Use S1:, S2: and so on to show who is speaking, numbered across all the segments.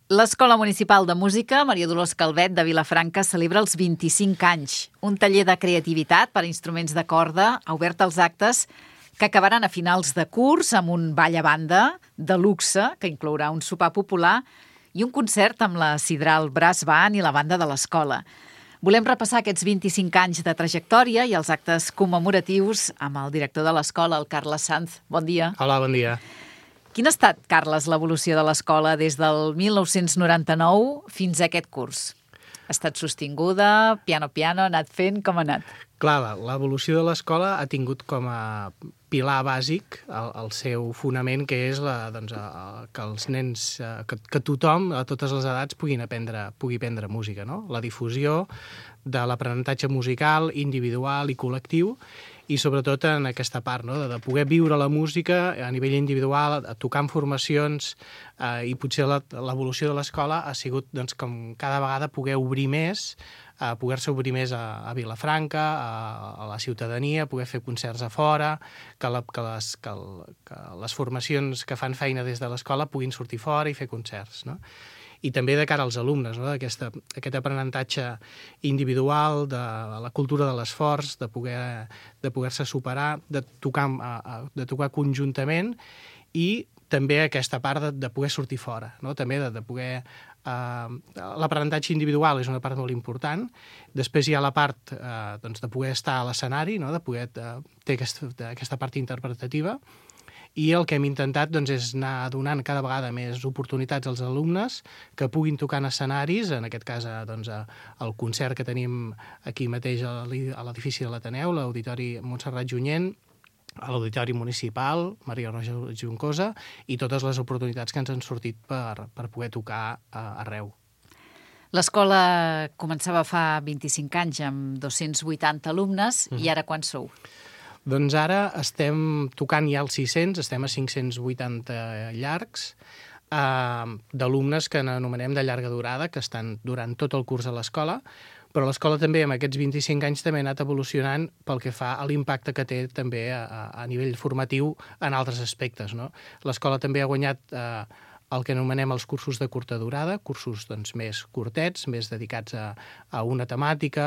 S1: L'Escola Municipal de Música Maria Dolors Calvet de Vilafranca celebra els 25 anys. Un taller de creativitat per a instruments de corda ha obert els actes que acabaran a finals de curs amb un ball a banda de luxe que inclourà un sopar popular i un concert amb la Sidral Brass Band i la banda de l'escola. Volem repassar aquests 25 anys de trajectòria i els actes commemoratius amb el director de l'escola, el Carles Sanz. Bon dia.
S2: Hola, bon dia.
S1: Quina ha estat, Carles, l'evolució de l'escola des del 1999 fins a aquest curs? Ha estat sostinguda, piano, ha anat fent, com ha anat?
S2: Clar, l'evolució de l'escola ha tingut com a pilar bàsic el seu fonament, que és que els nens, que tothom, a totes les edats, pugui aprendre música, no? La difusió de l'aprenentatge musical individual i col·lectiu, i sobretot en aquesta part, no? de poder viure la música a nivell individual, tocar en formacions, i potser l'evolució de l'escola ha sigut com cada vegada poder obrir més, poder-se obrir més a Vilafranca, a la ciutadania, poder fer concerts a fora, que les formacions que fan feina des de l'escola puguin sortir fora i fer concerts, no? I també de cara als alumnes, no? Aquest aprenentatge individual, de la cultura de l'esforç, de poder-se superar, de tocar conjuntament, i també aquesta part de poder sortir fora, no? També de poder... L'aprenentatge individual és una part molt important. Després hi ha la part de poder estar a l'escenari, no? De poder ter aquesta part interpretativa. I el que hem intentat és anar donant cada vegada més oportunitats als alumnes que puguin tocar en escenaris, en aquest cas el concert que tenim aquí mateix a l'edifici de l'Ateneu, l'Auditori Montserrat Junyent, a l'Auditori Municipal, Maria Roja Juncosa, i totes les oportunitats que ens han sortit per poder tocar arreu.
S1: L'escola començava fa 25 anys amb 280 alumnes, i ara quants sou?
S2: Doncs ara estem tocant ja els 600, estem a 580 llargs, d'alumnes que anomenem de llarga durada, que estan durant tot el curs a l'escola, però l'escola també, amb aquests 25 anys, també ha anat evolucionant pel que fa a l'impacte que té també a nivell formatiu en altres aspectes, no? L'escola també ha guanyat el que anomenem els cursos de curta durada, cursos més curtets, més dedicats a una temàtica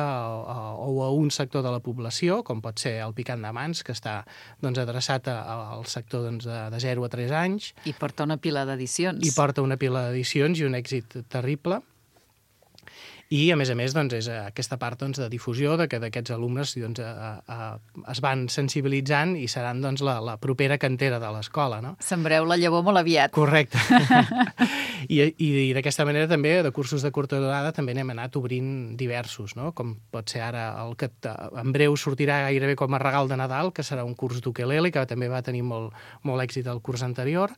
S2: o a un sector de la població, com pot ser el picant de mans, que està adreçat al sector de 0 a 3 anys.
S1: I porta una pila d'edicions.
S2: I porta una pila d'edicions i un èxit terrible. I, a més, és aquesta part de difusió que d'aquests alumnes es van sensibilitzant i seran la propera cantera de l'escola, no?
S1: Sembreu la llavor molt aviat.
S2: Correcte. I d'aquesta manera també, de cursos de curta durada, també n'hem anat obrint diversos, no? Com pot ser ara el que en breu sortirà gairebé com a regal de Nadal, que serà un curs d'ukelele, que també va tenir molt èxit el curs anterior.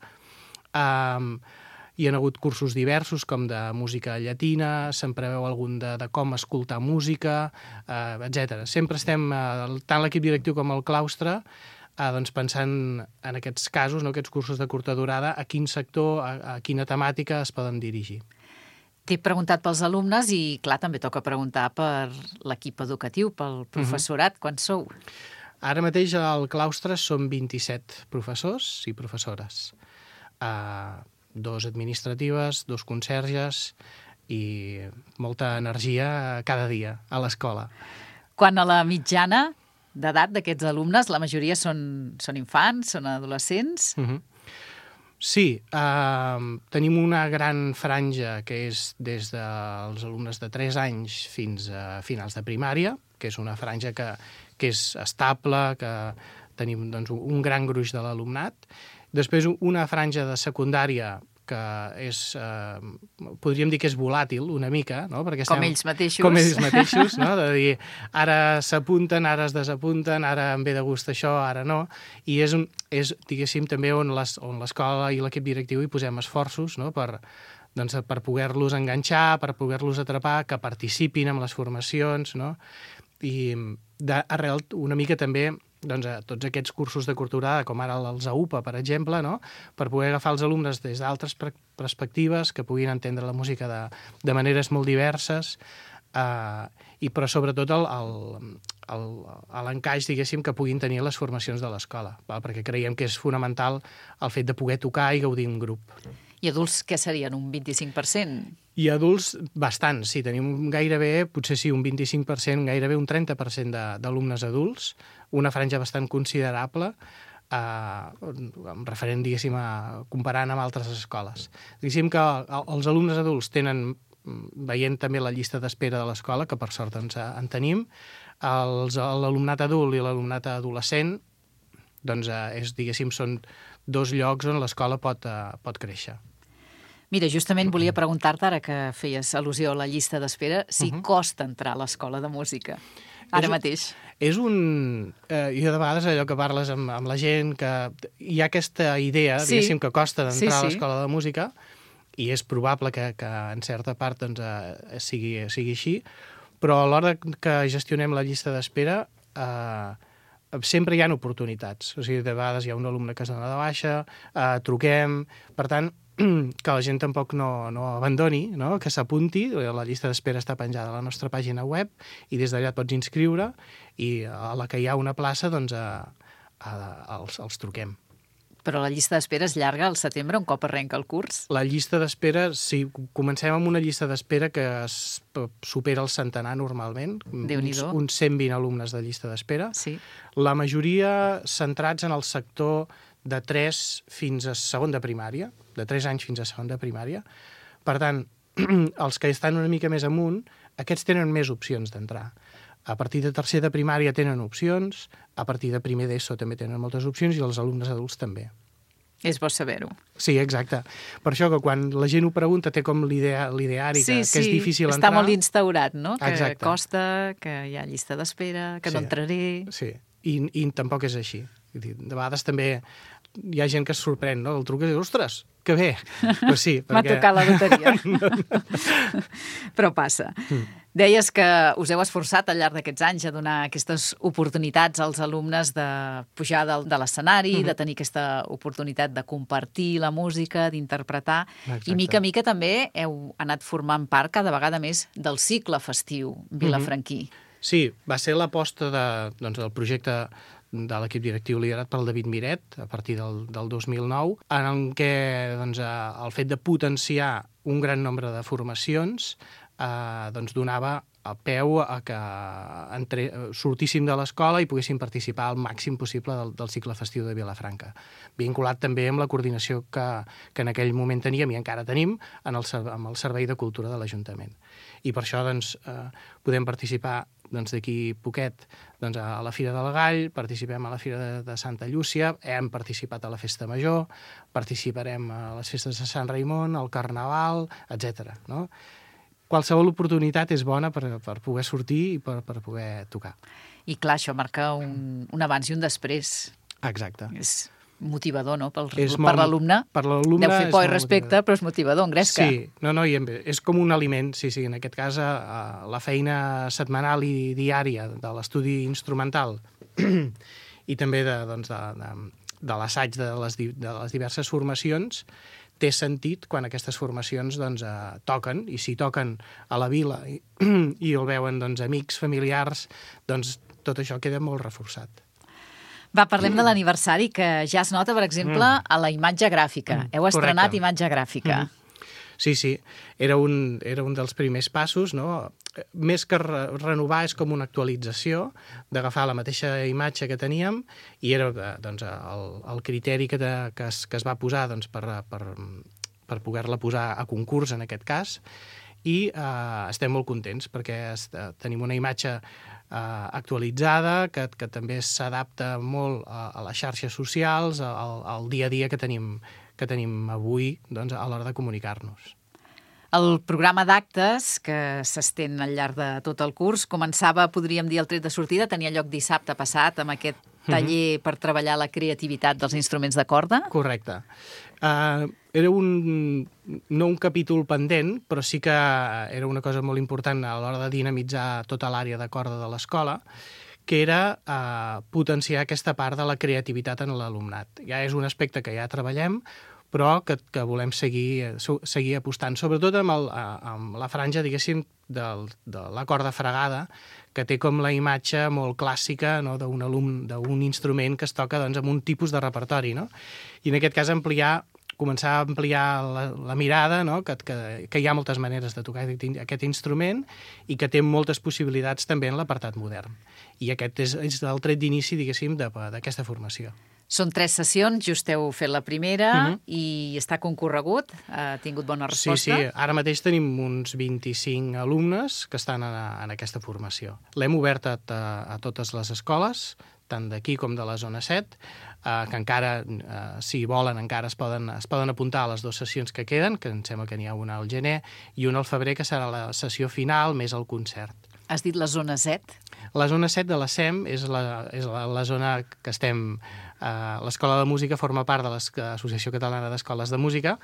S2: Hi ha hagut cursos diversos, com de música llatina, se'n preveu algun de com escoltar música, etc. Sempre estem, tant l'equip directiu com el claustre, pensant en aquests casos, aquests cursos de curta durada, a quin sector, a quina temàtica es poden dirigir.
S1: T'he preguntat pels alumnes i, clar, també toca preguntar per l'equip educatiu, pel professorat. Quants sou?
S2: Ara mateix al claustre som 27 professors i professores. 2 administratives, 2 conserges i molta energia cada dia a l'escola.
S1: Quan a la mitjana d'edat d'aquests alumnes, la majoria són infants, són adolescents?
S2: Sí, tenim una gran franja que és des dels alumnes de 3 anys fins a finals de primària, que és una franja que és estable, que tenim un gran gruix de l'alumnat. Després, una franja de secundària que és, podríem dir que és volàtil una mica, no? Perquè
S1: com ells mateixos.
S2: Com ells mateixos, no? De dir, ara s'apunten, ara es desapunten, ara em ve de gust això, ara no. I és diguéssim, també on l'escola i l'equip directiu hi posem esforços, no? Per poder-los enganxar, per poder-los atrapar, que participin en les formacions, no? I d'arrel una mica també a tots aquests cursos de curta durada, com ara els AUPA, per exemple, no? Per poder agafar els alumnes des d'altres perspectives, que puguin entendre la música de maneres molt diverses, però sobretot l'encaix, diguéssim, que puguin tenir les formacions de l'escola, perquè creiem que és fonamental el fet de poder tocar i gaudir un grup.
S1: I adults què serien, un 25%?
S2: I adults, bastant, sí, tenim gairebé, potser sí, un 25%, gairebé un 30% d'alumnes adults, una franja bastant considerable, amb referent, diguéssim, comparant amb altres escoles. Diguéssim que els alumnes adults tenen, veient també la llista d'espera de l'escola, que per sort doncs, en tenim, l'alumnat adult i l'alumnat adolescent, doncs, diguéssim, són dos llocs on l'escola pot créixer.
S1: Mira, justament volia preguntar-te, ara que feies al·lusió a la llista d'espera, si costa entrar a l'escola de música, ara mateix.
S2: És un... jo de vegades allò que parles amb la gent, que hi ha aquesta idea, diguéssim, que costa d'entrar a l'escola de música, i és probable que en certa part doncs, sigui així, però a l'hora que gestionem la llista d'espera sempre hi ha oportunitats. O sigui, de vegades hi ha un alumne que es dona de baixa, truquem, per tant, que la gent tampoc no abandoni, no? Que s'apunti, la llista d'espera està penjada a la nostra pàgina web i des d'allà et pots inscriure i a la que hi ha una plaça doncs els truquem.
S1: Però la llista d'espera és llarga al setembre, un cop arrenca el curs?
S2: La llista d'espera, sí, comencem amb una llista d'espera que supera el centenar normalment, uns 120 alumnes de llista d'espera.
S1: Sí.
S2: La majoria centrats en el sector de 3 fins a segon de primària, de 3 anys fins a segon de primària. Per tant, els que estan una mica més amunt, aquests tenen més opcions d'entrar. A partir de tercer de primària tenen opcions, a partir de primer d'ESO també tenen moltes opcions i els alumnes adults també.
S1: És bo saber-ho.
S2: Sí, exacte. Per això que quan la gent ho pregunta té com l'ideari que és difícil entrar.
S1: Està molt instaurat, no? Que
S2: exacte.
S1: Costa, que hi ha llista d'espera, que no entraré...
S2: Sí, i tampoc és així. De vegades també hi ha gent que es sorprèn, no? El truc és, ostres, que bé. Però sí, perquè...
S1: M'ha tocat la loteria. Però passa. Deies que us heu esforçat al llarg d'aquests anys a donar aquestes oportunitats als alumnes de pujar de l'escenari, de tenir aquesta oportunitat de compartir la música, d'interpretar, i mica a mica també heu anat formant part cada vegada més del cicle festiu vilafranquí.
S2: Sí, va ser l'aposta del projecte de l'equip directiu liderat pel David Miret a partir del 2009, en què el fet de potenciar un gran nombre de formacions donava el peu a que sortíssim de l'escola i poguéssim participar al màxim possible del cicle festiu de Vilafranca. Vinculat també amb la coordinació que en aquell moment teníem i encara tenim amb el Servei de Cultura de l'Ajuntament. I per això podem participar d'aquí poquet a la Fira del Gall, participem a la Fira de Santa Llúcia, hem participat a la Festa Major, participarem a les festes de Sant Raimon, al Carnaval, etc. No? Qualsevol oportunitat és bona per poder sortir i per poder tocar.
S1: I clar, això marca un abans i un després.
S2: Exacte.
S1: És motivador, no?, per l'alumne.
S2: Per l'alumne
S1: deu fer por i respecte, però és motivador, engresca.
S2: Sí, és com un aliment, sí, en aquest cas la feina setmanal i diària de l'estudi instrumental i també de l'assaig de les diverses formacions té sentit quan aquestes formacions toquen, i si toquen a la vila i el veuen amics, familiars, tot això queda molt reforçat.
S1: Va, parlem de l'aniversari, que ja es nota, per exemple, a la imatge gràfica. Heu estrenat imatge gràfica.
S2: Sí, era un dels primers passos, no? Més que renovar és com una actualització d'agafar la mateixa imatge que teníem i era el criteri que es va posar per poder-la posar a concurs en aquest cas i estem molt contents perquè tenim una imatge actualitzada que també s'adapta molt a les xarxes socials, al dia a dia que tenim avui a l'hora de comunicar-nos.
S1: El programa d'actes, que s'estén al llarg de tot el curs, començava, podríem dir, el tret de sortida, tenia lloc dissabte passat amb aquest taller per treballar la creativitat dels instruments de corda.
S2: Correcte. Era no un capítol pendent, però sí que era una cosa molt important a l'hora de dinamitzar tota l'àrea de corda de l'escola, que era potenciar aquesta part de la creativitat en l'alumnat. Ja és un aspecte que ja treballem, però que volem seguir apostant, sobretot amb la franja, diguéssim, de la corda fregada, que té com la imatge molt clàssica d'un instrument que es toca amb un tipus de repertori, no? I en aquest cas ampliar començar a ampliar la mirada, no? que hi ha moltes maneres de tocar aquest instrument i que té moltes possibilitats també en l'apartat modern. I aquest és el tret d'inici, diguéssim, d'aquesta formació.
S1: Són 3 sessions, just heu fet la primera i està concorregut, ha tingut bona resposta.
S2: Sí, ara mateix tenim uns 25 alumnes que estan en aquesta formació. L'hem obert a totes les escoles, tant d'aquí com de la zona 7, que encara, si volen, encara es poden apuntar a les 2 sessions que queden, que em sembla que n'hi ha una al gener, i una al febrer, que serà la sessió final més el concert.
S1: Has dit la zona 7?
S2: La zona 7 de la SEM és la zona que estem... L'Escola de Música forma part de l'Associació Catalana d'Escoles de Música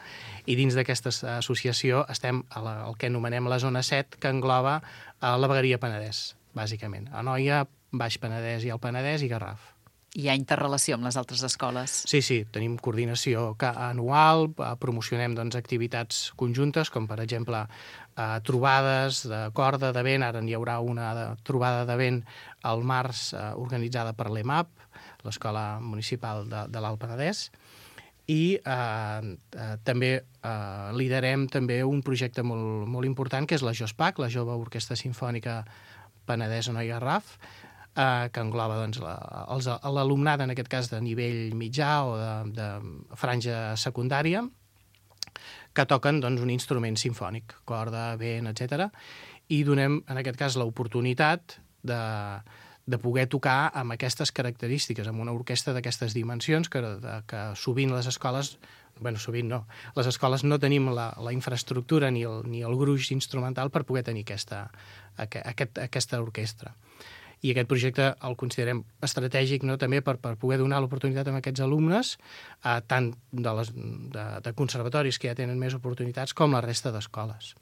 S2: i dins d'aquesta associació estem al que anomenem la zona 7, que engloba la vegueria Penedès, bàsicament. Anoia, Baix Penedès i el Penedès i Garraf.
S1: Hi ha interrelació amb les altres escoles?
S2: Sí, tenim coordinació anual, promocionem activitats conjuntes, com per exemple trobades de corda, de vent. Ara n'hi haurà una trobada de vent al març organitzada per l'EMAP, l'Escola Municipal de l'Alt Penedès, i també liderem també un projecte molt important, que és la JOSPAC, la Jove Orquestra Simfònica Penedès Anoia Garraf, que engloba l'alumnat, en aquest cas de nivell mitjà o de franja secundària, que toquen un instrument simfònic, corda, vent, etc. I donem, en aquest cas, l'oportunitat de poder tocar amb aquestes característiques, amb una orquestra d'aquestes dimensions, que sovint les escoles, sovint no, les escoles no tenim la infraestructura ni el gruix instrumental per poder tenir aquesta orquestra. I aquest projecte el considerem estratègic, no?, també per poder donar l'oportunitat a aquests alumnes, tant de conservatoris que ja tenen més oportunitats com la resta d'escoles.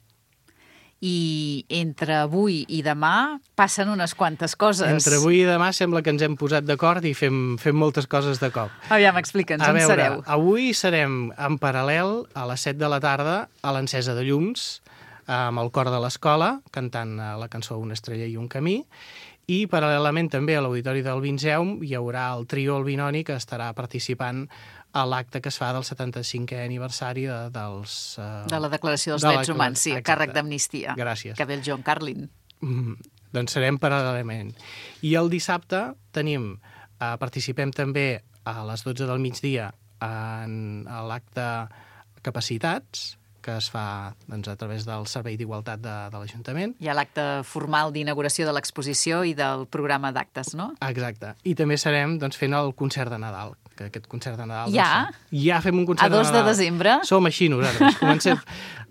S1: I entre avui i demà passen unes quantes coses.
S2: Entre avui i demà sembla que ens hem posat d'acord i fem moltes coses de cop.
S1: Aviam, explica'ns, on sereu?
S2: Avui serem en paral·lel a les 7 de la tarda a l'encesa de llums, amb el cor de l'escola, cantant la cançó Una estrella i un camí, i paral·lelament també a l'Auditori del Vinceum hi haurà el trio El Binoni, que estarà participant a l'acte que es fa del 75è aniversari de
S1: la Declaració dels Drets Humans, sí, a càrrec d'Amnistia.
S2: Gràcies.
S1: Que ve el John Carlin.
S2: Doncs serem paral·lelament. I el dissabte participem també a les 12 del migdia a l'acte Capacitats, que es fa a través del Servei d'Igualtat de l'Ajuntament.
S1: Hi ha l'acte formal d'inauguració de l'exposició i del programa d'actes, no?
S2: Exacte. I també serem fent el concert de Nadal, que aquest concert de Nadal...
S1: Ja?
S2: Ja fem un concert de Nadal.
S1: A 2 de desembre?
S2: Som així nosaltres. Comencem...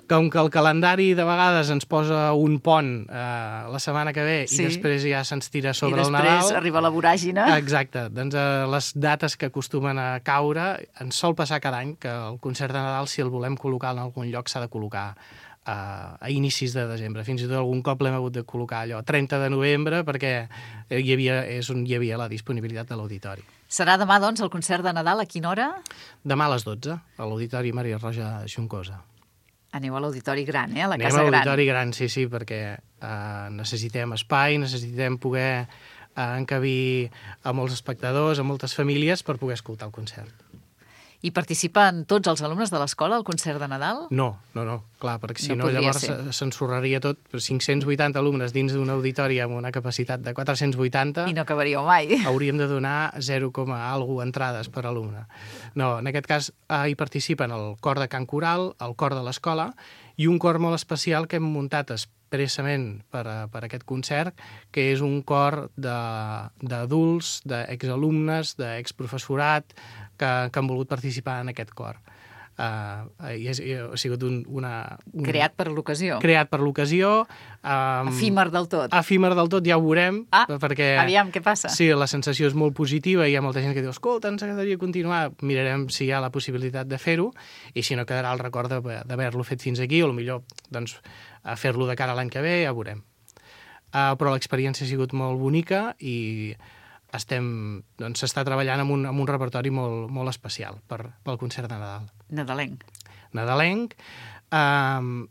S2: Com que el calendari de vegades ens posa un pont la setmana que ve i després ja se'ns tira sobre el Nadal...
S1: I després arriba la voràgina.
S2: Exacte. Doncs les dates que acostumen a caure ens sol passar cada any que el concert de Nadal, si el volem col·locar en algun lloc, s'ha de col·locar a inicis de desembre. Fins i tot algun cop l'hem hagut de col·locar allò 30 de novembre perquè és on hi havia la disponibilitat de l'auditori.
S1: Serà demà, doncs, el concert de Nadal. A quina hora?
S2: Demà a les 12, a l'Auditori Maria Roja Juncosa.
S1: Aneu a l'auditori gran, a la casa gran.
S2: Anem a l'auditori gran, sí, perquè necessitem espai, necessitem poder encabir a molts espectadors, a moltes famílies, per poder escoltar el concert.
S1: I participen tots els alumnes de l'escola al concert de Nadal?
S2: No, clar, perquè si no llavors s'ensorraria tot. 580 alumnes dins d'un auditori amb una capacitat de 480...
S1: I no acabaríeu mai.
S2: Hauríem de donar 0, entrades per alumne. No, en aquest cas hi participen el cor de cant coral, el cor de l'escola i un cor molt especial que hem muntat expressament per aquest concert, que és un cor d'adults, d'exalumnes, d'exprofessorat, que han volgut participar en aquest cor. Ha sigut
S1: creat per l'ocasió.
S2: Creat per l'ocasió.
S1: Efímer del tot.
S2: Efímer del tot, ja ho veurem. Perquè,
S1: aviam, què passa?
S2: Sí, la sensació és molt positiva i hi ha molta gent que diu, escolta, ens agradaria continuar. Mirarem si hi ha la possibilitat de fer-ho i si no quedarà el record d'haver-lo fet fins aquí o millor fer-lo de cara a l'any que ve, ja ho veurem. Però l'experiència ha sigut molt bonica i s'està treballant amb un repertori molt especial pel concert de Nadal. Nadalenc,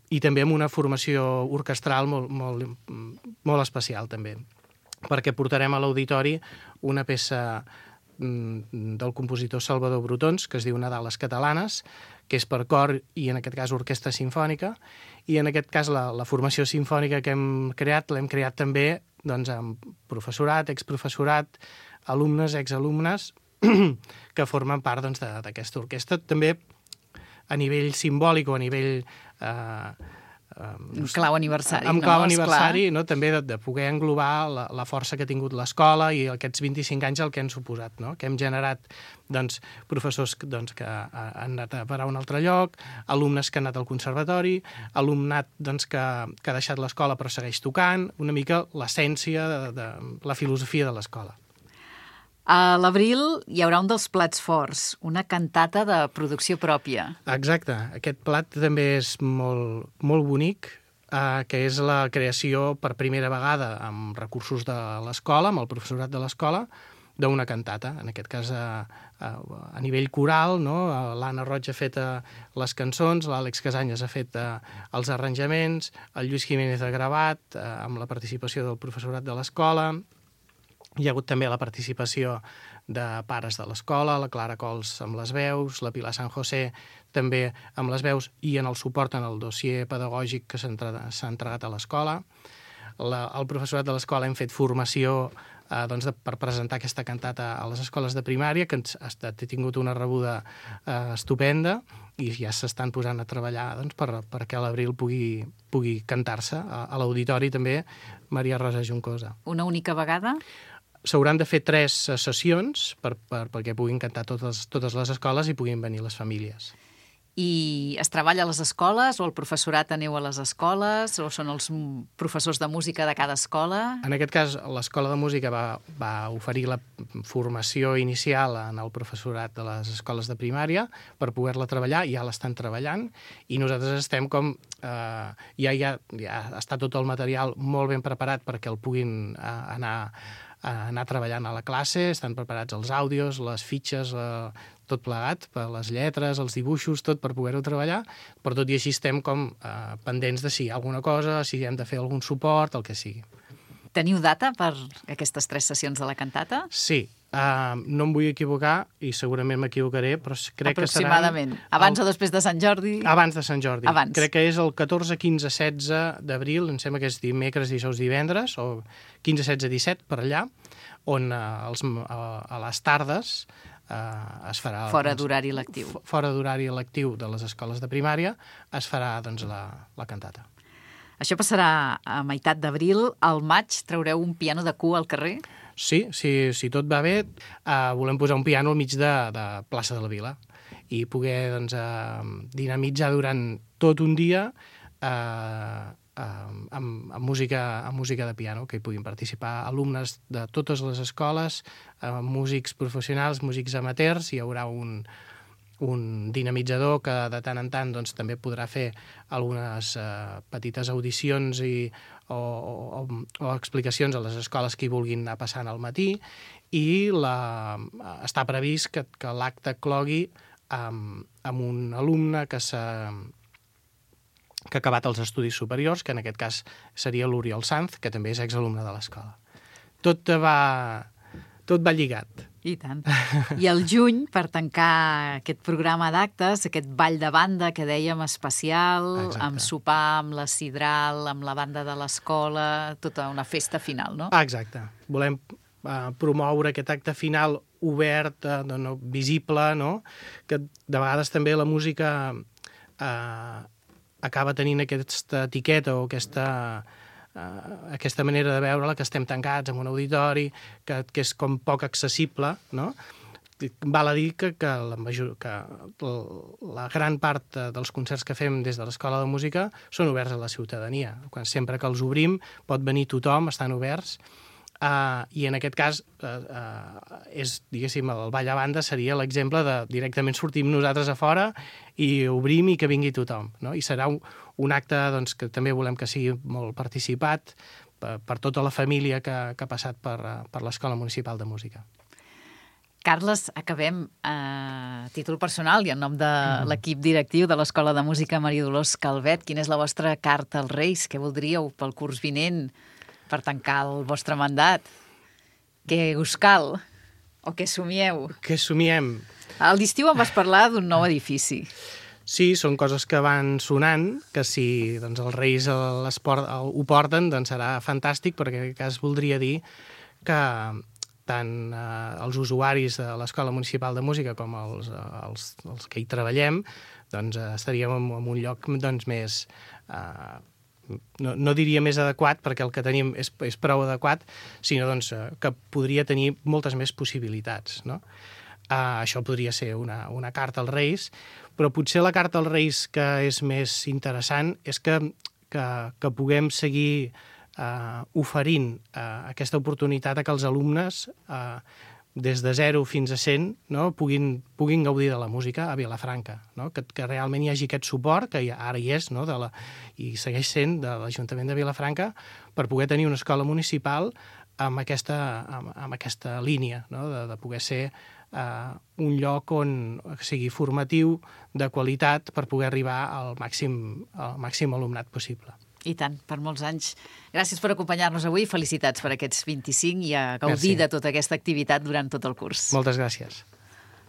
S2: i també amb una formació orquestral molt especial, també, perquè portarem a l'auditori una peça del compositor Salvador Brotons, que es diu Nadales Catalanes, que és per cor i, en aquest cas, orquestra simfònica. I, en aquest cas, la formació simfònica que hem creat, l'hem creat també amb professorat, exprofessorat, alumnes, exalumnes, que formen part d'aquesta orquestra. També a nivell simbòlic o a nivell...
S1: En clau aniversari.
S2: En clau aniversari, també de poder englobar la força que ha tingut l'escola i aquests 25 anys el que han suposat, que hem generat professors que han anat a parar a un altre lloc, alumnes que han anat al conservatori, alumnat que ha deixat l'escola però segueix tocant, una mica l'essència de la filosofia de l'escola.
S1: A l'abril hi haurà un dels plats forts, una cantata de producció pròpia.
S2: Exacte. Aquest plat també és molt, molt bonic, que és la creació per primera vegada amb recursos de l'escola, amb el professorat de l'escola, d'una cantata. En aquest cas, a nivell coral, l'Anna Roig ha fet les cançons, l'Àlex Casanyes ha fet els arranjaments, el Lluís Jiménez ha gravat, amb la participació del professorat de l'escola. Hi ha hagut també la participació de pares de l'escola, la Clara Cols amb les veus, la Pilar San José també amb les veus i en el suport en el dossier pedagògic que s'ha entregat a l'escola. El professorat de l'escola hem fet formació per presentar aquesta cantata a les escoles de primària, que ha tingut una rebuda estupenda i ja s'estan posant a treballar perquè a l'abril pugui cantar-se a l'auditori també Maria Rosa Juncosa.
S1: Una única vegada?
S2: S'hauran de fer 3 sessions perquè puguin cantar totes les escoles i puguin venir les famílies.
S1: I es treballa a les escoles o el professorat aneu a les escoles o són els professors de música de cada escola?
S2: En aquest cas, l'Escola de Música va oferir la formació inicial en el professorat de les escoles de primària per poder-la treballar, ja l'estan treballant, i nosaltres estem ja està tot el material molt ben preparat perquè el puguin anar treballant a la classe, estan preparats els àudios, les fitxes, tot plegat, per les lletres, els dibuixos, tot per poder-ho treballar, però tot i així estem pendents de si hi ha alguna cosa, si hem de fer algun suport, el que sigui.
S1: Teniu data per aquestes 3 sessions de la cantata?
S2: Sí. No em vull equivocar i segurament m'equivocaré, però crec que serà...
S1: Aproximadament. Abans o després de Sant Jordi?
S2: Abans de Sant Jordi.
S1: Abans.
S2: Crec que és el 14, 15, 16 d'abril, em sembla que és dimecres, dijous, divendres, o 15, 16, 17, per allà, on a les tardes es farà...
S1: Fora d'horari lectiu.
S2: Fora d'horari lectiu de les escoles de primària es farà la cantata.
S1: Això passarà a meitat d'abril. Al maig traureu un piano de cua al carrer?
S2: Sí, si tot va bé, volem posar un piano al mig de plaça de la Vila i poder dinamitzar durant tot un dia amb música de piano, que hi puguin participar alumnes de totes les escoles, músics professionals, músics amateurs. Hi haurà un dinamitzador que de tant en tant també podrà fer algunes petites audicions o explicacions a les escoles que hi vulguin anar passant al matí, i està previst que l'acte clogui amb un alumne que ha acabat els estudis superiors, que en aquest cas seria l'Oriol Sanz, que també és exalumne de l'escola. Tot va lligat.
S1: I tant. I al juny, per tancar aquest programa d'actes, aquest ball de banda que dèiem especial,
S2: exacte,
S1: amb sopar, amb la sidral, amb la banda de l'escola, tota una festa final, no?
S2: Exacte. Volem promoure aquest acte final obert, visible, que de vegades també la música acaba tenint aquesta etiqueta o aquesta manera de veure-la, que estem tancats en un auditori, que és com poc accessible, no? Val a dir que la gran part dels concerts que fem des de l'Escola de Música són oberts a la ciutadania. Sempre que els obrim pot venir tothom, estan oberts, i en aquest cas diguéssim, el ball a banda seria l'exemple de directament sortim nosaltres a fora i obrim i que vingui tothom, no? I serà un acte que també volem que sigui molt participat per tota la família que ha passat per l'Escola Municipal de Música.
S1: Carles, acabem a títol personal i en nom de l'equip directiu de l'Escola de Música Maria Dolors Calvet. Quina és la vostra carta als Reis? Què voldríeu pel curs vinent per tancar el vostre mandat? Què us cal? O què somieu?
S2: Què somiem?
S1: A l'estiu em vas parlar d'un nou edifici.
S2: Sí, són coses que van sonant, que si doncs, els Reis ho porten, doncs serà fantàstic, perquè en aquest cas voldria dir que tant els usuaris de l'Escola Municipal de Música com els que hi treballem doncs, estaríem en un lloc doncs, més... no diria més adequat, perquè el que tenim és prou adequat, sinó doncs, que podria tenir moltes més possibilitats, no? Això podria ser una carta als Reis, però potser la carta als Reis que és més interessant és que puguem seguir oferint aquesta oportunitat a que els alumnes des de 0 fins a 100 no, puguin gaudir de la música a Vilafranca, no? Que realment hi hagi aquest suport, que ara hi és, no? I segueix sent de l'Ajuntament de Vilafranca, per poder tenir una escola municipal amb aquesta línia, no? de poder ser un lloc on sigui formatiu, de qualitat, per poder arribar al màxim alumnat possible.
S1: I tant, per molts anys. Gràcies per acompanyar-nos avui, felicitats per aquests 25 i a gaudir de tota aquesta activitat durant tot el curs.
S2: Moltes gràcies.